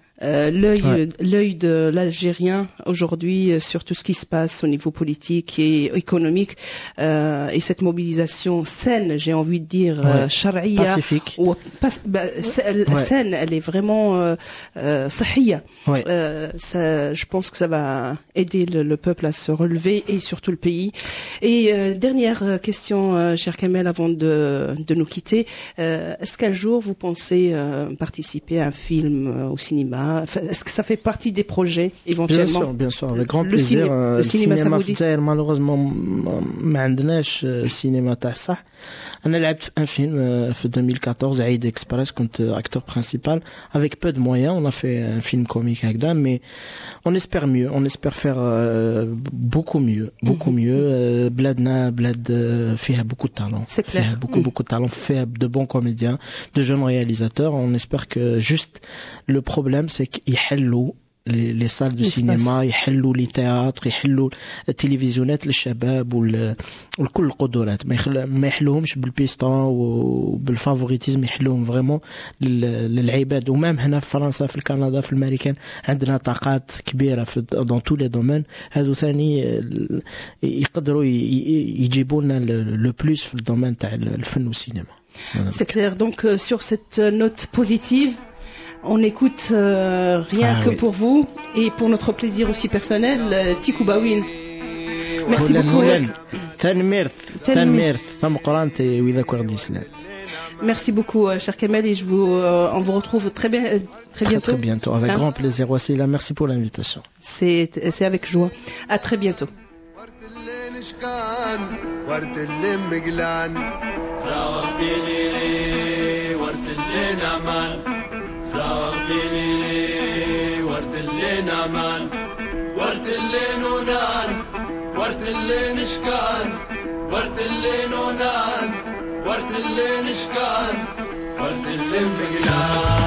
l'œil de l'Algérien aujourd'hui sur tout ce qui se passe au niveau politique et économique, et cette mobilisation saine, j'ai envie de dire, charia, pacifique, ou saine, elle est vraiment صحية. Ça, je pense que ça va aider le peuple à se relever et surtout le pays. Et dernière question, cher Kamel, avant de nous quitter, est-ce qu'un jour vous pensez participer à un film au cinéma? Est-ce que ça fait partie des projets éventuellement? Bien sûr, avec grand plaisir. Le cinéma, ça vous dit? Malheureusement, ما عندناش السينما تاع الصح. انا لعبت في un film في 2014 عيد اكسبريس، كنت acteur principal avec peu de moyens, on a fait un film comique هكذا, mais on espère mieux, on espère faire beaucoup mieux, beaucoup mieux. بلادنا بلاد فيها beaucoup de talent, فيها beaucoup beaucoup de talent, فيها de bons comédiens, de jeunes réalisateurs. On espère que juste le problème c'est يحلوا les salles de cinéma، يحلوا les théâtres، يحلوا التلفزيونات للشباب والكل القدرات، ما يحلوهمش بالبيستون وبال favoritisme، يحلوهم vraiment للعباد. و même هنا في فرنسا، في كندا، في الامريكان، عندنا طاقات كبيرة في dans tous les domaines. هذو ثاني يقدروا يجيبوا لنا le plus في ال domaine تاع الفن والسينما. C'est clair. Donc sur cette note positive, on écoute rien que pour vous et pour notre plaisir aussi personnel, Tikoubawin. Merci beaucoup. تنميرت تنميرت تمقرانت وإذا كوردي سلام. Merci beaucoup, cher Kamel, et on vous retrouve très bien, très bientôt. Très bientôt, avec grand plaisir. Wassila, merci pour l'invitation. C'est avec joie. À très bientôt. ورد اللي مقلان زاغتيني لي ورد اللي نعمان، زاغتيني لي ورد اللي نعمان، ورد اللي نونان، ورد اللي نشكان، ورد اللي نونان، ورد اللي نشكان، ورد اللي مقلان.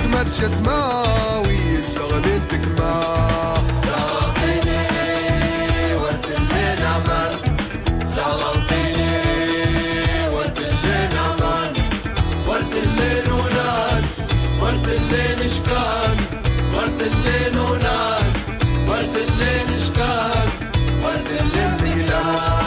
مرشد ماوي الزغلين تكما زغلتيني ورد اللي نعمان، زغلتيني ورد اللي نعمان، ورد اللي نونان، ورد اللي نشكان، ورد اللي نونان، ورد اللي نشكان، ورد اللي مقلان.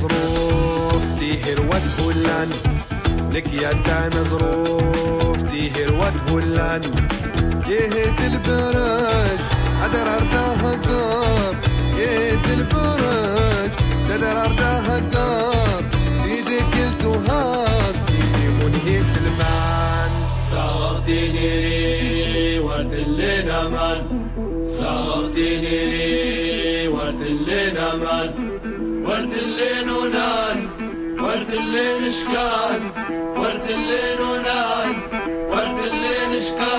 ظروف تيهر وتهلان، لك يا تانا ظروف تيهر وتهلان، يهد البرج عدر أرداها قار، يهد البرج تدر أرداها قار، تيدك التهاس تيدي منهي سلمان. صغرتيني لي ورد اللي نمان، صغرتيني لي ورد اللي نمان، ورد اللي نونان، ورد اللي نشكان، ورد اللي نونان، ورد اللي نشكان.